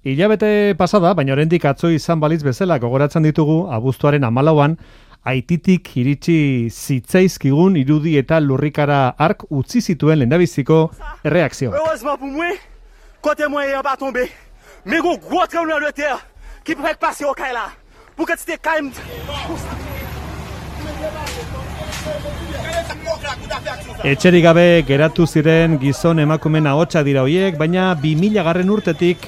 Hilabete pasada, baina oraindik atzo izan balitz bezala gogoratzen ditugu abuztuaren 14an Haititik iritsi zitzaizkigun irudi eta lurrikara hark utzi zituen lehendabiziko erreakzioak. Heureusement pour moi, côté moyen va tomber. Mais gros tremblement de terre qui pourrait passer au Kaila. Pour que c'était calme. Etxerik gabe geratu ziren gizon emakumeen ahotsa dira hoiek, baina 2000 urtetik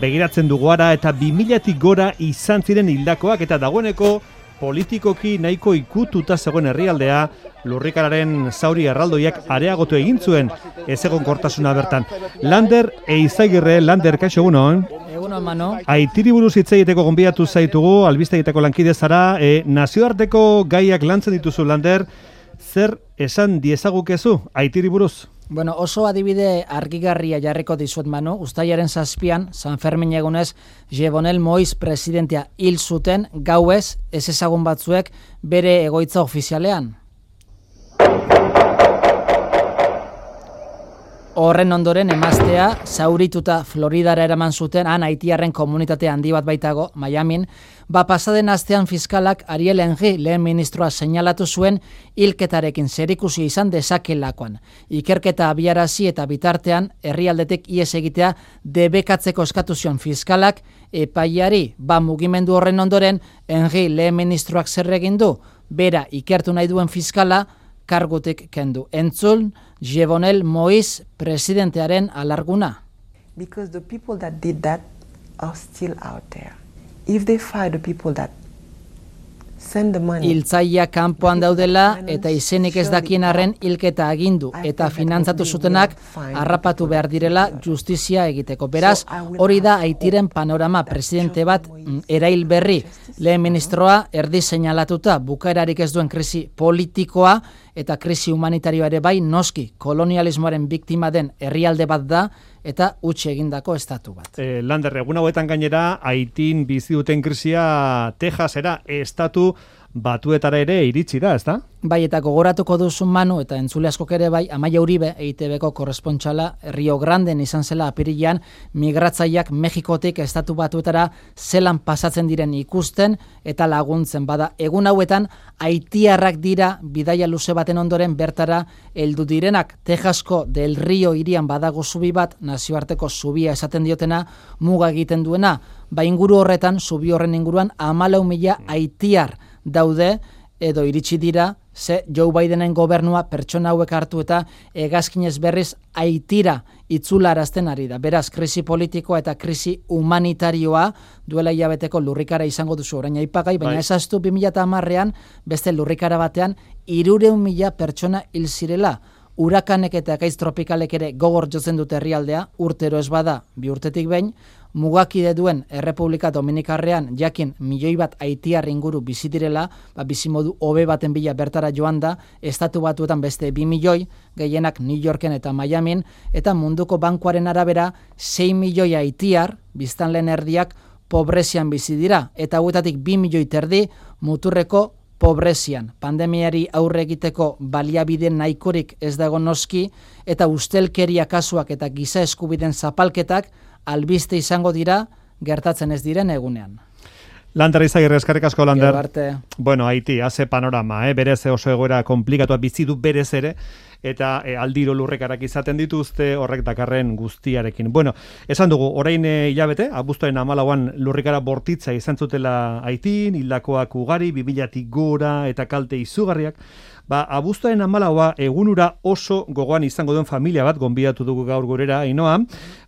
begiratzen dugu ara eta 2000tik gora izan ziren hildakoak eta dagoeneko politikoki nahiko ikututa zegoen herrialdea lurrikararen zauri erraldoiak areagotu egin zuen ezegonkortasuna bertan. Lander Eizagirre, Lander, kaixo egunon? Egunon, Mano. Haitiri buruz hitz egiteko gonbidatu zaitugu, albistegietako lankide zara, nazioarteko gaiak lantzen dituzu, Lander, zer esan diezagukezu Haitiri buruz? Bueno, oso adibide argigarria jarriko dizuet, Manu. Uztailaren 7an, San Fermin egunez, Jovenel Moïse presidentea hil zuten gauez ez ezagun batzuek bere egoitza ofizialean. Horren ondoren emaztea zaurituta Floridara eraman zuten, han haitiarren komunitate handi bat baitago, Miamin, pasaden astean fiskalak Ariel Henry lehen ministroa seinalatu zuen hilketarekin zerikusi izan dezakelakoan. Ikerketa abiarazi eta bitartean herrialdetik ihes egitea debekatzeko eskatu zion fiskalak epaiari, mugimendu horren ondoren Henry lehen ministroak zer egin du, bera ikertu nahi duen fiskala kargutik kendu. Entzun, Jovenel Moïse presidentearen alarguna. Because the people that did that are still out there. If they find the people that send the money. Hiltzaia kanpoan daudela eta izenik ez dakien arren hilketa agindu eta finantzatu zutenak harrapatu behar direla justizia egiteko. Beraz, hori da Haitiren panorama. Presidente bat erail berri lehen ministroa erdi seinalatuta bukaerarik ez duen krisi politikoa eta krisi humanitarioa ere bai noski kolonialismoaren biktima den herrialde bat da eta utzi egindako estatu bat. Lander, egun hauetan gainera Haitin bizi duten krisia Texasera estatu batuetara ere iritsi da, ezta? Bai, eta gogoratuko duzun, Manu, eta entzule askok ere bai, Amaia Uribe, EITB-ko korrespontxala, Rio Granden izan zela apirilean, migratzaileak Mexikotik estatu batuetara zelan pasatzen diren ikusten eta laguntzen. Bada, egun hauetan, haitiarrak dira bidaia luze baten ondoren bertara heldu direnak. Texasko del Rio hirian badago zubi bat, nazioarteko zubia esaten diotena, muga egiten duena. Ba, inguru horretan, zubi horren inguruan, 14.000 haitiar daude, edo iritsi dira, ze Joe Bidenen gobernua pertsona hauek hartu eta hegazkinez berriz Haitira itzularazten ari da. Beraz, krisi politikoa eta krisi humanitarioa duela hilabeteko lurrikara izango duzu orain aipagai, baina ezaztu 2010ean beste lurrikara batean 300.000 pertsona hil zirela. Urakanek eta ekaitz tropikalek ere gogor jotzen dute herrialdea, urtero ez bada 2 urtetik behin, mugakide duen Errepublika Dominikarrean jakin 1 milioi bat haitiar inguru bizi direla, bizimodu hobe baten bila bertara joan da, estatu batuetan beste 2 milioi, gehienak New Yorken eta Miamin, eta munduko bankuaren arabera 6 milioi haitiar, biztanleen erdiak, pobrezian bizi dira, eta hauetatik 2 milioi terdi muturreko pobrezian. Pandemiari aurre egiteko baliabide nahikorik ez dago noski, eta ustelkeria kasuak eta giza eskubideen zapalketak albiste izango dira gertatzen ez diren egunean. Lander Eizagirre, eskerrik asko, Lander. Bueno, Haiti, haze panorama, berez oso egoera komplikatua bizi du berez ere, eta aldiro lurrekarak izaten dituzte horrek dakarren guztiarekin. Bueno, esan dugu, orain hilabete, abuztuaren 14an lurrikara bortitza izan zutela Haitin, hildakoak ugari, 2000tik gora eta kalte izugarriak. Abuztuaren 14a egunura oso gogoan izango duen familia bat gonbidatu dugu gaur gurera, Ainoa.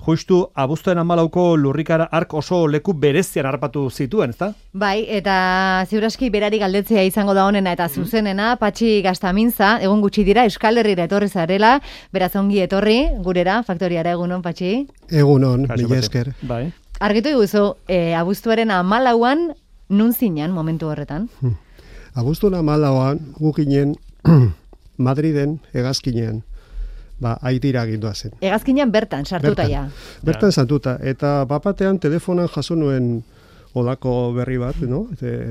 Justu abuztuaren 14ko lurrikara hark oso leku berezian harrapatu zituen, ezta? Bai, eta ziuraski berari galdetzea izango da honena eta zuzenena, Patxi Gaztamintza, egun gutxi dira Euskal Herrira etorri zarela, beraz ongi etorri gurera, faktoriara. Egunon, Patxi? Egunon, mila esker. Bai. Argitu iguzu, abuztuaren 14an nun zinean momentu horretan? Abuztuaren 14an gukinen Madriden hegazkinean Haitira gindua zen. Hegazkinean bertan sartuta ja. Bertan sartuta, eta bapatean telefonan jaso nuen olako berri bat, no?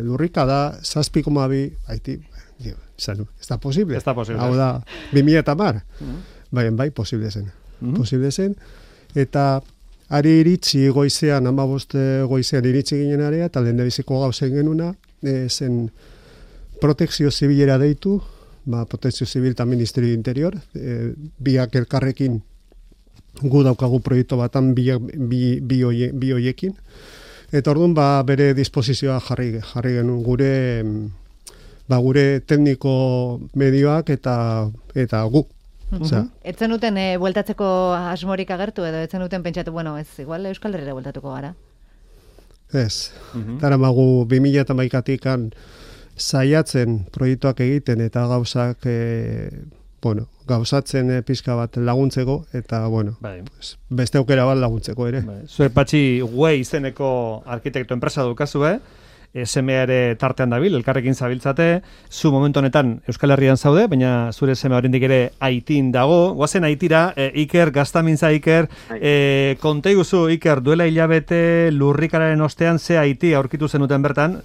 Lurrika da 7,2 Haiti. Ez da posible. Ez da posible. Hau da 2010. Bai, posible zen. Posible zen. Eta ari iritsi goizean, 15 goizean iritsi ginen area, eta lehendabiziko gauzen genuna, zen protekzio zibilera deitu, protekzio zibil eta Ministerio Interior, biak elkarrekin gu daukagu proiektu batan bi hoiekin, eta orduan bere disposizioa jarri genuen gure tekniko medioak eta gu. Etzen duten bueltatzeko asmorik agertu edo etzen duten pentsatu, bueno, ez, igual Euskal Herrira bueltatuko gara? Ez, daramagu 2011-tikan saiatzen proiektuak egiten eta gauzak, gauzatzen pizka bat laguntzeko, eta, beste aukera bat laguntzeko ere. Zuek Patxi Güey izeneko arkitekto enpresa dukazu, semea ere tartean dabil, elkarrekin zabiltzate, zu momentu honetan Euskal Herrian zaude, baina zure semea oraindik ere Haitin dago, goazen Haitira, Iker, Gaztamintza Iker, konta iguzu Iker, duela hilabete lurrikararen ostean ze Haiti aurkitu zenuten bertan?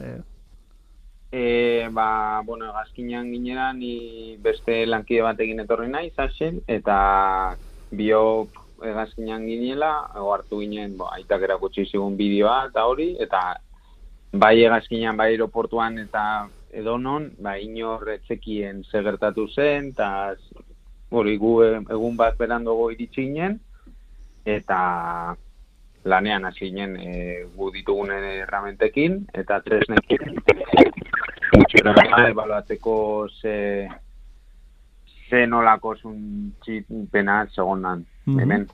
Gazkinan ginera, ni beste lankide batekin etorri nahi, Saxen, eta biok Gazkinan ginela, hartu ginen, aitak erakutsi zigun bideoa eta hori, eta bai Hegazkinan, bai aeroportuan eta edonon, inor etzekien segertatu zen, eta gu egun bat berandogo iritsi ginen, eta lanean hasi ginen gu ditugunen erramentekin, eta tresnekin, gutxera ebaluatzeko ze nolako zuntxipena segondan, hemen.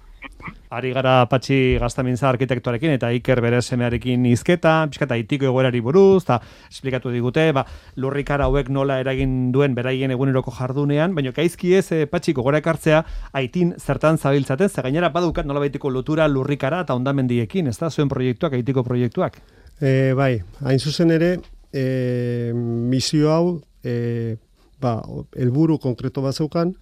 Ari gara Patxi Gaztamintza arkitektoarekin eta Iker bere semearekin hizketa, pixkata Haitiko egoerari buruz, eta esplikatu digute, lurrikara hauek nola eragin duen beraien eguneroko jardunean, baina gaizki ez Patxi gogora ekartzea Haitin zertan zabiltzaten, ze gainera badukat nola baitiko lotura lurrikara eta hondamendiekin, ez da, zuen proiektuak, Haitiko proiektuak? Hain zuzen ere, misio hau, helburu konkreto bat zeukan,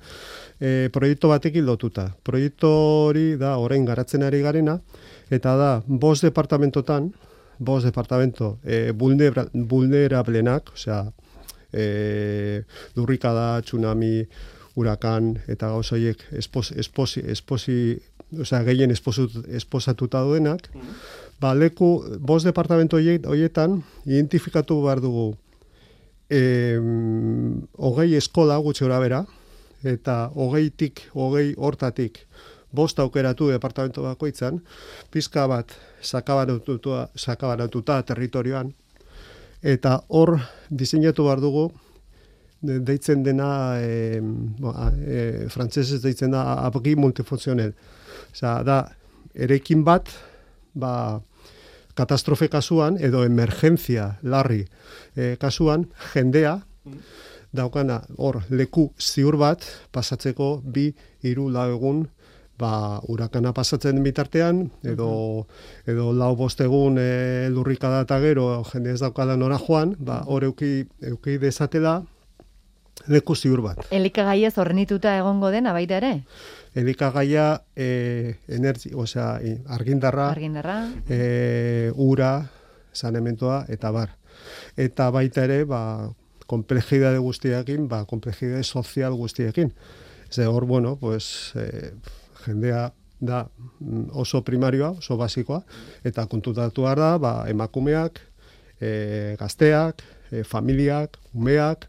proiektu batekin lotuta. Proiektu hori da orain garatzen ari garena, eta da 5 departamentotan, 5 departamento vulnerablenak, osea, lurrikada, tsunami, hurakan, eta gauzoiek gehien esposatuta duenak, leku 5 departamento horietan identifikatu behar dugu 20 eskola gutxi gora bera, eta 20 hortatik 5 aukeratu departamento bakoitzan, pizka bat sakabanatuta territorioan, eta hor diseinatu behar dugu, deitzen dena, frantsesez deitzen da, abri multifunzionel. Osea, da, eraikin bat, katastrofe kasuan, edo emergentzia larri kasuan, jendea, daukana hor leku ziur bat pasatzeko 2-3 egun hurakana pasatzen bitartean, edo 4-5 egun lurrikada eta gero jende ez daukala nora joan, hor euki dezatela leku ziur bat. Elikagaia zornituta egongo dena baita ere? Elikagaia argindarra, ura, sanementoa eta bar. Eta baita ere, komplejidade guztiekin, komplejidade sozial guztiekin. Hor, jendea da oso primarioa, oso basikoa, eta kontutatu da, emakumeak, gazteak, familiak, umeak,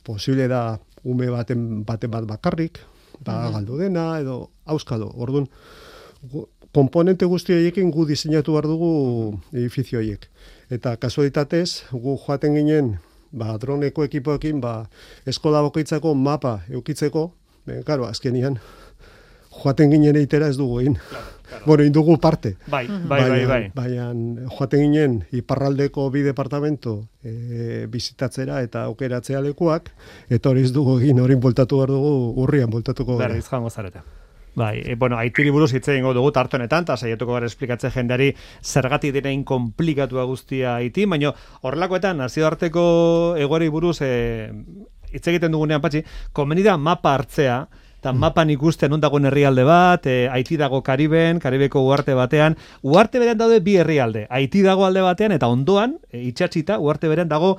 posible da ume baten bat bakarrik, galdu dena, edo auskalo. Orduan, komponente guzti horiekin gu diseinatu behar dugu edifizio horiek. Eta kasualitatez, gu joaten ginen, droneko ekipoekin, eskola bakoitzako mapa eukitzeko, azkenian, joaten ginen eitera ez dugu egin. Indugu parte. Bai. Baina joaten ginen iparraldeko 2 departamento bizitatzera eta aukeratzea lekuak, eta hori ez dugu egin, hori bueltatu behar dugu, urrian bueltatuko gara. Berriz jango zareta. Haitiri buruz hitz egingo dugu tarte honetan, eta saiatuko gara esplikatzen jendeari zergatik direin konplikatua guztia Haiti, baina horrelakoetan, nazioarteko egoerei buruz hitz egiten dugunean, Patxi, komeni da mapa hartzea, eta mapan ikusten non dagoen herrialde bat, Haiti dago Kariben, Karibeko uharte batean, uharte berean daude bi herrialde, Haiti dago alde batean, eta ondoan, itxatxita, uharte berean dago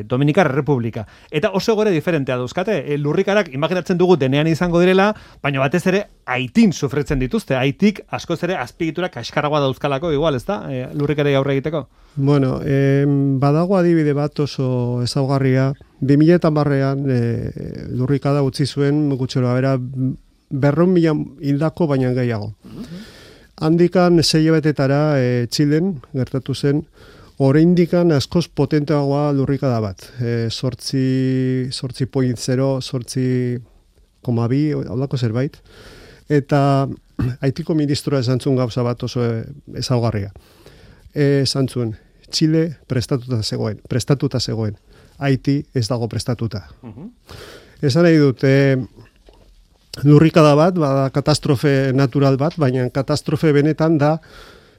Dominikar Republika. Eta oso gore diferentea dauzkate, lurrikarak imaginatzen dugu denean izango direla, baina batez ere Haitin sufritzen dituzte, Haitik askoz ere azpiegitura kaskarragoa dauzkalako, igual, ez da, lurrikarei aurre egiteko? Bueno, badago adibide bat oso ezaugarria, 2010an lurrikada utzi zuen gutxero bera 200.000 hildako baina gehiago. Handikan 6 hilabetetara Txilen gertatu zen, oraindikan askoz potenteagoa lurrikada bat. 8.0, 8.2, haulako zerbait. Eta Haitiko ministroa esan zuen gauza bat oso ezaugarria. Esan zuen, Txile prestatuta zegoen. Haiti ez dago prestatuta. Esan nahi dut, lurrikada bat, bada katastrofe natural bat, baina katastrofe benetan da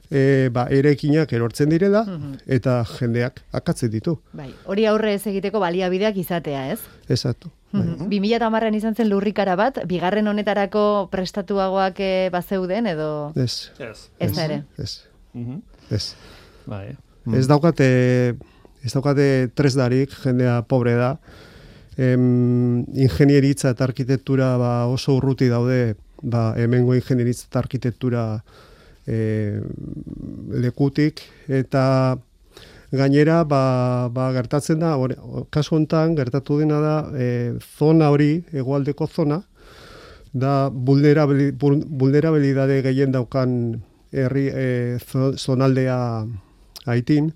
erekinak erortzen direla, eta jendeak akatzen ditu. Bai, hori aurre ez egiteko baliabideak izatea, ez? Exacto. 2010an izan zen lurrikara bat, bigarren honetarako prestatuagoak bazeuden, edo... Ez. Ez da ere. Ez. Bai. Ez daukate tresdarik, jendea pobre da. Ingenieritza eta arkitektura oso urruti daude, hemengo ingenieritza eta arkitektura lekutik, eta gainera gertatzen da, kasu honetan gertatu dena da, zona hori, hegoaldeko zona, da vulnerabilidade gehien daukan herri zonaldea Haitin,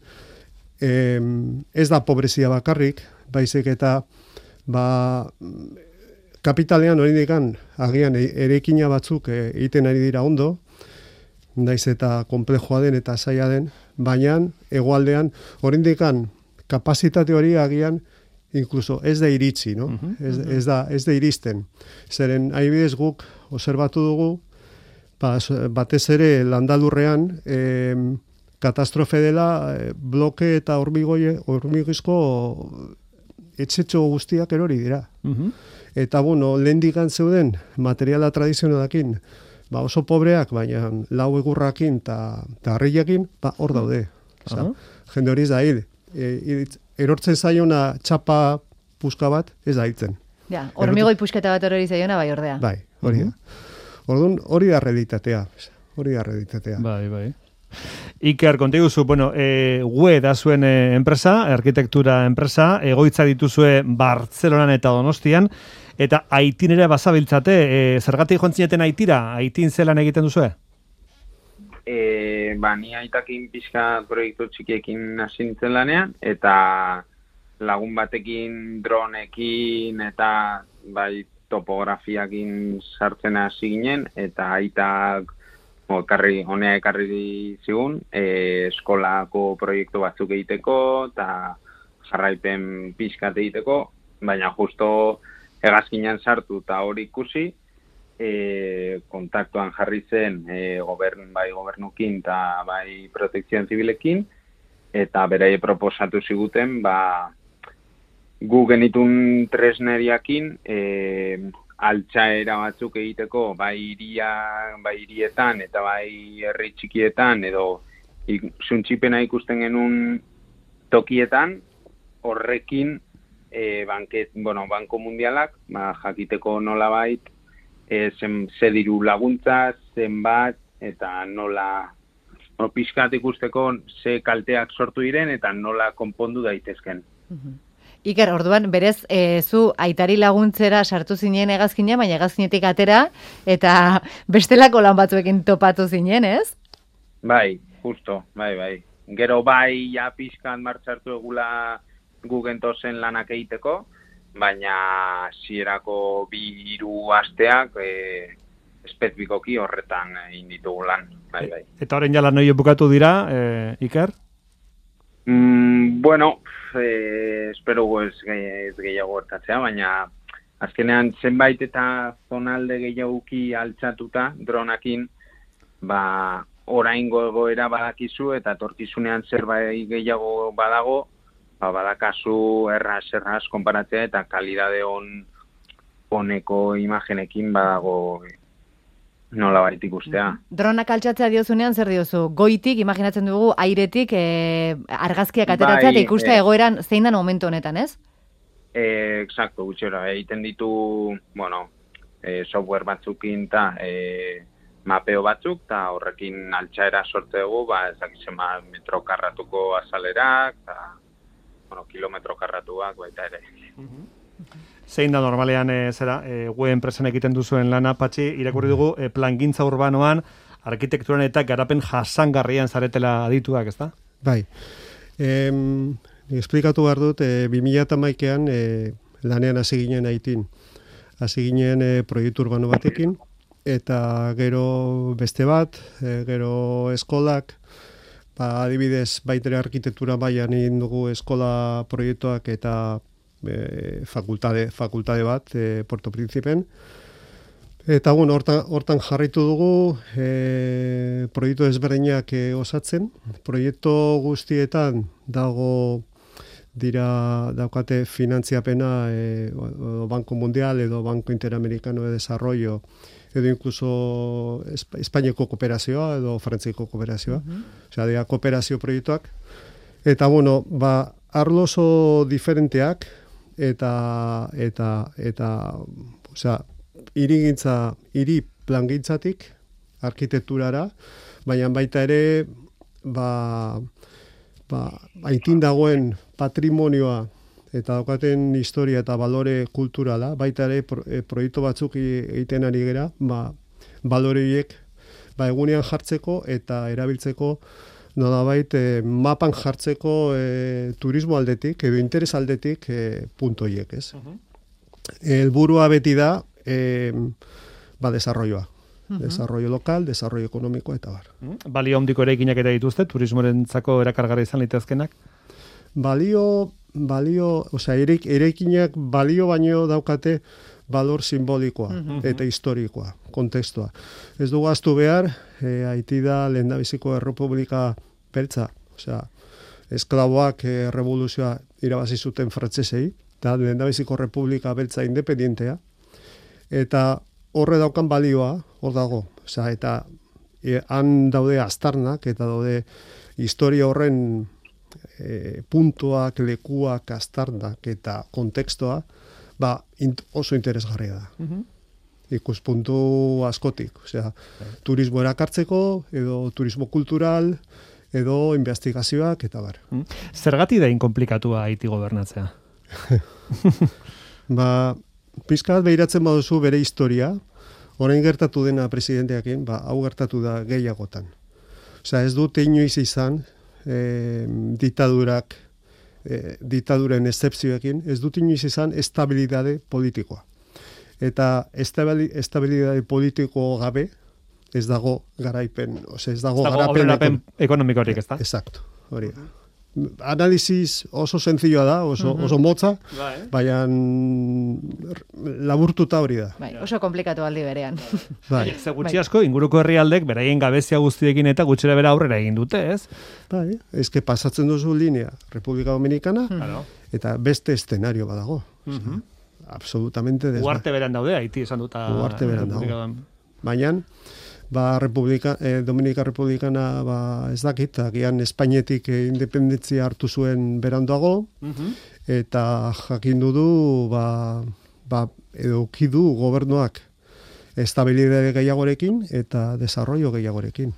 ez da pobrezia bakarrik, baizik eta kapitalean oraindikan agian erekina batzuk egiten ari dira ondo, naiz eta konplexua den eta zaila den, baina hegoaldean oraindikan kapazitate hori agian inkluso ez da iritsi, no? Ez da iristen. Zeren adibidez guk obserbatu dugu, batez ere landalurrean katastrofe dela bloke eta hormigizko etxetxo guztiak erori dira. Eta lehendikan zeuden materiala tradizionalakin, oso pobreak, baina lau egurrakin eta harriakin, hor daude. Jende hori ez da hil. Erortzen zaiona txapa puska bat, ez da hiltzen. Ja, hormigoi pusketa bat hori zaiona, bai ordea. Bai, hori da. Orduan, hori da realitatea. Bai. Iker, konta iguzu, GUE da zuen enpresa, arkitektura enpresa, egoitza dituzue Bartzelonan eta Donostian, eta Haitin ere bazabiltzate, zergatik jontzineten Haitira, Haitin zelan egiten duzue? Ni aitakin pixka proiektu txikiekin hasi nintzen lanean, eta lagun batekin dronekin eta topografiakin sartzen hasi ginen, eta aitak honea ekarri zigun, eskolako proiektu batzuk egiteko, eta jarraipen pixkat egiteko, baina justo hegazkinean sartu eta hori ikusi, kontaktuan jarri zen gobernukin eta bai protekzioan zibilekin, eta beraie proposatu ziguten, gu genitun tresneriakin, altxaera batzuk egiteko, bai hirietan eta bai herri txikietan, edo zuntxipena ikusten genuen tokietan, horrekin Banko Mundialak, jakiteko nolabait, ze diru laguntza, zenbat, eta nola pixkat ikusteko ze kalteak sortu diren, eta nola konpondu daitezken. Iker, orduan, berez, zu aitari laguntzera sartu zinen hegazkina, baina hegazkinetik atera, eta bestelako lan batzuekin topatu zinen, ez? Bai, justo, bai. Gero ja pixkan martxartu egula gugentozen lanak egiteko, baina zierako 2-3 asteak espezifikoki horretan egin ditugu lan, bai. Eta horren jala noi bukatu dira, Iker? Espero ez gehiago gertatzea, baina azkenean zenbait eta zonalde gehiaguki altxatuta dronakin, oraingo egoera badakizu eta etorkizunean zerbait gehiago badago, badakazu erraz konparatzea eta kalidade oneko imagenekin badago nola bait ikustea. Dronak altxatzea diozunean zer diozu? Goitik, imaginatzen dugu, airetik argazkiak ateratzea eta ikustea egoeran zein dan momentu honetan, ez? Exacto, gutxera. Egiten ditu, software batzukin eta mapeo batzuk, eta horrekin altxaera sortze dugu, ezakizema metro karratuko azalerak, eta kilometro karratuak baita ere. Zein da normalean web enpresan egiten duzuen lana, Patxi, irakurri dugu plangintza urbanoan, arkitekturan eta garapen jasangarrian zaretela adituak, ez da? Bai. Esplikatu behar dut, 2011an lanean hasi ginen Haitin. Hasi ginen proiektu urbano batekin, eta gero beste bat, gero eskolak, adibidez, baitere arkitektura mailan egin dugu eskola proiektuak eta fakultate bat, Puerto Príncipen. Eta, hortan jarritu dugu proiektu ezberdinak osatzen. Proiektu guztietan daukate finantziapena Banco Mundial edo Banco Interamericano de Desarrollo edo incluso Espainiako kooperazioa edo Frantziako kooperazioa. Osea, dira kooperazio proiektuak. Eta, arlo oso diferenteak eta osea, hiri plangintzatik arkitekturara, baina baita ere Haitin dagoen patrimonioa eta daukaten historia eta balore kulturala, baita ere proiektu batzuk egiten ari gera, balore horiek egunean jartzeko eta erabiltzeko nolabait mapan jartzeko turismo aldetik edo interes aldetik punto horiek, ez? Helburua beti da desarrolloa. Desarrollo lokal, desarrollo ekonomiko eta bar. Balio handiko eraikinak ere dituzte, turismorentzako erakargarri izan litezkenak? Osea, eraikinak balio baino daukate balor simbolikoa eta historikoa, kontekstua. Ez dugu ahaztu behar, Haiti da lehendabiziko errepublika beltza, osea, esklaboak revoluzioa irabazi zuten frantsesei, eta lehendabiziko republika beltza independentea, eta horre daukan balioa, hor dago, osea, eta han daude aztarnak, eta daude historia horren puntuak, lekuak, aztarnak eta kontekstua, oso interesgarria da. Ikuspuntu askotik, osea, turismo erakartzeko, edo turismo kultural, edo investigazioak, eta bar. Zergatik da inkomplikatua Haiti gobernatzea? Pizka bat behiratzen baduzu bere historia, orain gertatu dena presidenteakin, hau gertatu da gehiagotan. Osea, ez dute inoiz izan diktaduren excepzioekin, ez dut inoiz izan estabilidade politikoa. Eta estabilidade politiko gabe ez dago garaipen, ez dago garapen ekonomikorik, ez da? Exacto, hori da. Analisis oso sencilloa da, oso motza, baina laburtuta hori da. Oso komplikatu aldi berean. Ze gutxi asko, inguruko herrialdek beraien gabezia guztiekin eta gutxera bera aurrera egin dute, ez? Eske pasatzen duzu linea República Dominicana, eta beste eszenario badago. Absolutamente desberdin. Uarte beran daude, Haiti esan duta. Uarte beran dago. Baina, Dominika Republikana ez dakit, agian Espainetik independentzia hartu zuen beranduago, eta jakindu du, edo ukidu gobernuak estabilidade gehiagorekin eta desarrollo gehiagorekin.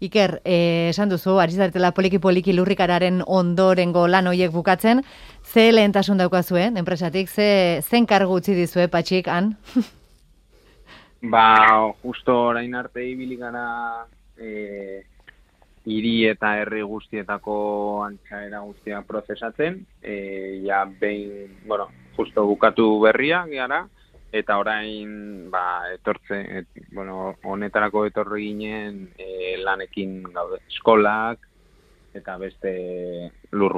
Iker, esan duzu, ari zaretela poliki lurrikararen ondorengo lan hoiek bukatzen, ze lehentasun daukazue, enpresatik, zen kargu utzi dizue, Patxik, han? Justo orain arte ibili gara hiri eta herri guztietako antxaera guztia prozesatzen, justo bukatu berria gara, eta orain honetarako etorri ginen lanekin gaude, eskolak eta beste lur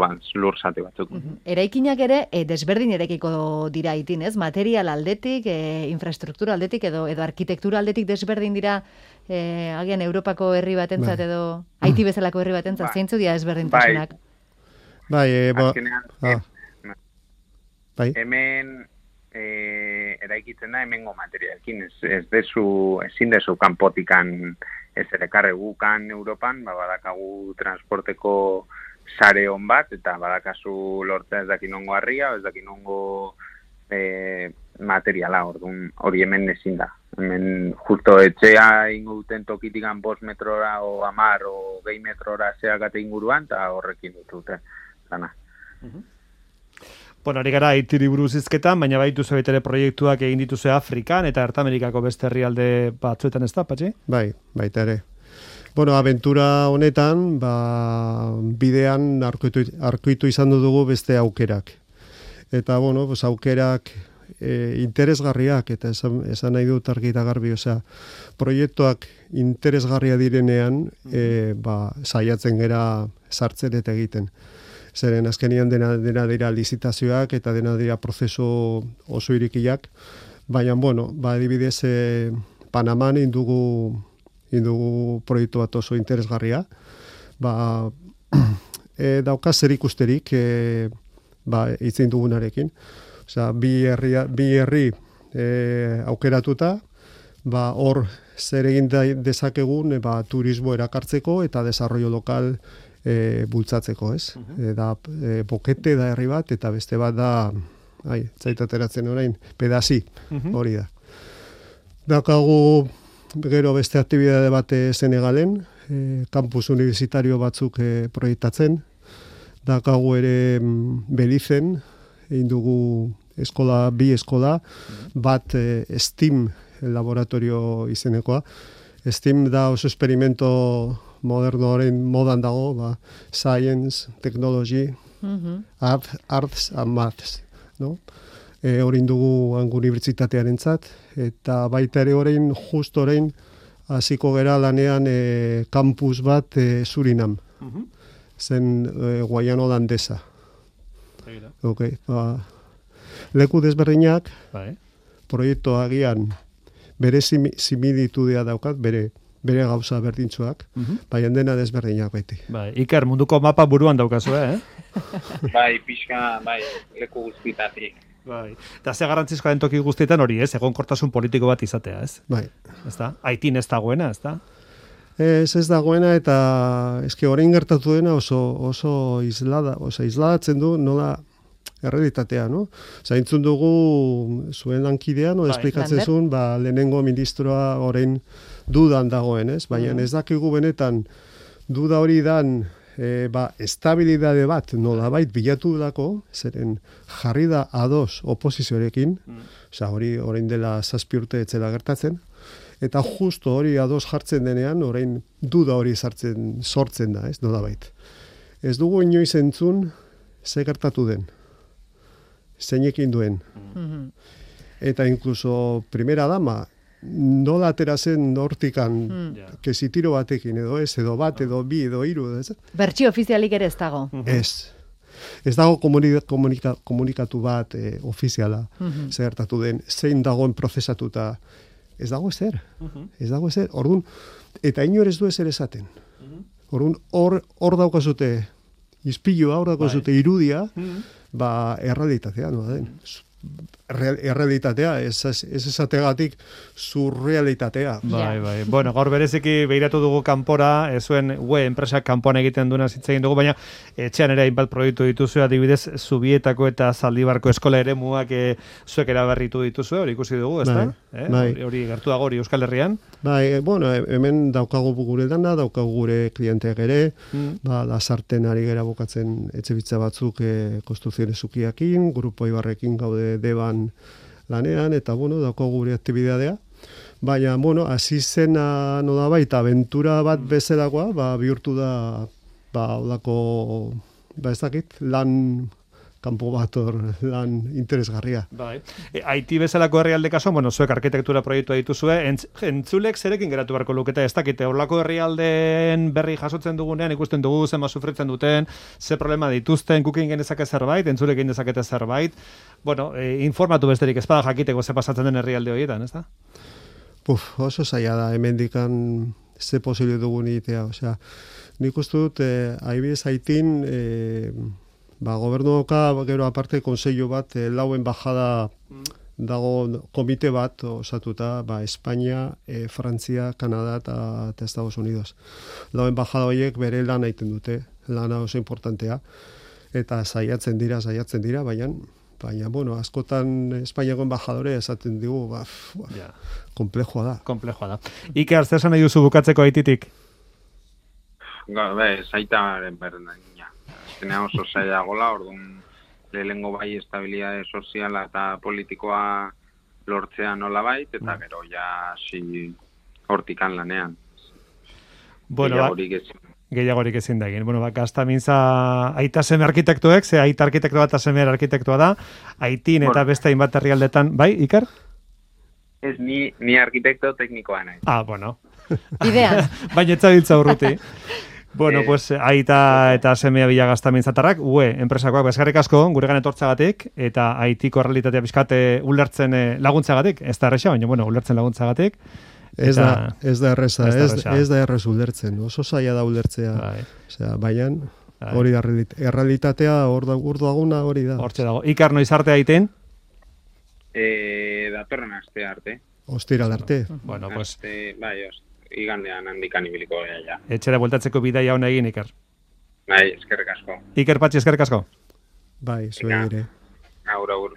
zati batzuk. Eraikinak ere desberdin eraikiko dira Haitin, ez? Material aldetik, infrastruktura aldetik edo arkitektura aldetik desberdin dira agian Europako herri batentzat edo Haiti bezalako herri batentzat, zeintzu dira desberdintasunak? Azkenean, hemen eraikitzen da hemengo materialekin, ezin dezu kanpotikan ez ere karre gukan Europan, badakagu transporteko sare hon bat, eta badakazu lortzea ez dakin ongo harria, ez dakin ongo materiala, orduan hori hemen ezin da. Hemen justo etxea ingo duten tokitikan 5 metrora o 10 o 20 metrora zeakate inguruan, eta horrekin dute dana. Bueno, ari gara Haitiri buruz hizketan, baina baitu ere proiektuak egin dituzu Afrikan eta Ertamerikako beste herrialde batzuetan, ez da, Patxi? Bai, baita ere. Bueno, abentura honetan, bidean arkuitu izan dugu beste aukerak. Eta, bueno, aukerak interesgarriak, eta esan nahi dut argi eta garbi, proiektuak interesgarria direnean, saiatzen gera sartzen eta egiten. Zeren azkenian dena dira lizitazioak eta dena dira prozesu oso irikiak, baina, bueno, adibidez, Panaman indugu proiektu bat oso interesgarria, dauka zer ikusterik itzen dugunarekin. Bi herri aukeratuta, hor zer egin dezakegun turismo erakartzeko eta desarrollo lokal bultzatzeko, ez? Da Bokete da herri bat, eta beste bat da, zaitateratzen orain, Pedazi, hori da. Daukagu gero beste aktibidade bat Senegalen, kampus universitario batzuk proiektatzen. Daukagu ere Belizen, egin dugu bi eskola, bat STEAM laboratorio izenekoa. STEAM da oso experimento modernoaren modan dago, Science, Technology, Arts and Maths, no? Horin dugu unibertsitatearen zat, eta baita ere orain, just orain, hasiko gera lanean kampus bat Surinam, zen Guayana holandesa. Okay, leku desberdinak, proiektu agian bere similitudea daukat, bere gauza berdintzuak, baina dena desberdinak baiti. Iker, munduko mapa buruan daukazu, Pixka, leku guztitatik. Eta ze garrantzizkoa den toki guztietan hori, ez? Egonkortasun politiko bat izatea, ez? Haitin ez dagoena, ez da? Ez dagoena, eta eske orain gertatu dena oso isladatzen du nola errealitatea, no? Zaintzun dugu zuen lankidean, esplikatzen zuen, lehenengo ministroa orain dudan dagoen, ez? Baina ez dakigu benetan duda hori dan estabilidade bat nolabait bilatu dako, zeren jarri da ados oposizioarekin, hori orain dela 7 urte etzela gertatzen, eta justo hori ados jartzen denean, orain duda hori sortzen da, ez nolabait. Ez dugu inoiz entzun ze gertatu den, zeinekin duen. Eta inkluso primera dama, nola aterazen hortikan kesitiro batekin, edo bat, edo bi, edo hiru. Bertsio ofizialik ere ez dago. Ez dago komunikatu bat ofiziala gertatu den, zein dagoen prozesatuta. Ez dago ezer. Orduan, eta inor ez du ezer esaten. Orduan, hor daukazute izpilua, hor daukazute irudia, errealitatea, no da den. Errealitatea, ez esategatik surrealitatea. Bueno, gaur bereziki behiratu dugu kanpora, zuen enpresak kanpoan egiten duena zitzegin dugu, baina etxean ere hainbat proiektu dituzu, adibidez Zubietako eta Zaldibarko eskola eremuak zuek eraberritu dituzu, hori ikusi dugu, ez da? Hori gertu dago hori Euskal Herrian? Bueno, hemen daukagu gure dana, daukagu gure klienteak ere, Lasarten ari gera bukatzen etxebitza batzuk konstrukziones ukiakin, Grupo Ibarrekin gaude Deban lanean, eta, daukagu gure aktibidadea. Baina, hasi zena no da baita, aventura bat bezalakoa, bihurtu da, holako, ez dakit, lan kanpo bat lan interesgarria. Haiti bezalako herrialde kaso, zuek arkitektura proiektua dituzue, entzulek zerekin geratu beharko lukete, ez dakite, horlako herrialdeen berri jasotzen dugunean, ikusten dugu, zema sufritzen duten, ze problema dituzten, gukin genezake zerbait, entzulekin dezakete zerbait, informatu besterik ez bada jakiteko ze pasatzen den herrialde horietan, ez da? Oso zaila da, hemendikan ze posible dugun egitea, nik uste dut, haibidez Haitin, gobernuoka, gero aparte, konseillo bat, lauen bajada dago komite bat osatuta, Espainia, Frantzia, Kanada eta Estados Unidos. Lau embajada horiek bere lan egiten dute, lana oso importantea, eta saiatzen dira, baina, bueno, askotan Espainiako embajadore esaten digu, komplexua da. Komplexua da. Iker, zer esan nahi duzu bukatzeko Haititik? Zaitaren berdina. Azkenean oso zaila gola, orduan lehengo bai estabilidade soziala eta politikoa lortzea nola bait, eta gero ja hortikan lanean. Bueno, gehiagorik ezin da egin. Bueno, gaztamintza aita seme arkitektuek, ze aita arkitektua eta semer arkitektua da, Haitin eta beste hainbat herrialdetan, bai, Iker? Ez, ni arkitekto teknikoa nahi. Bueno. Idean. Baina etzabiltza urruti. Bueno, pues aita eta semea bila gaztamintzatarrak, enpresakoak eskerrik asko, guregan etortzagatik, eta Haitiko errealitatea bizkate ulertzen laguntzagatik, ez da erresa, baina, bueno, ulertzen laguntzagatik. Ez da erreza, ez da errez ulertzen, oso zaila da ulertzea, baina hori da errealitatea hor daguna hori da. Hortxe dago. Ikar noiz arte Haitin? Datorren aste arte. Ostiral arte. Bueno, pues... Igandean handikan ibiliko ja. Etxera bueltatzeko bidaia hona egin, Iker. Bai, eskerrik asko. Iker Patxi, eskerrik asko. Bai, zuen ere. Agur.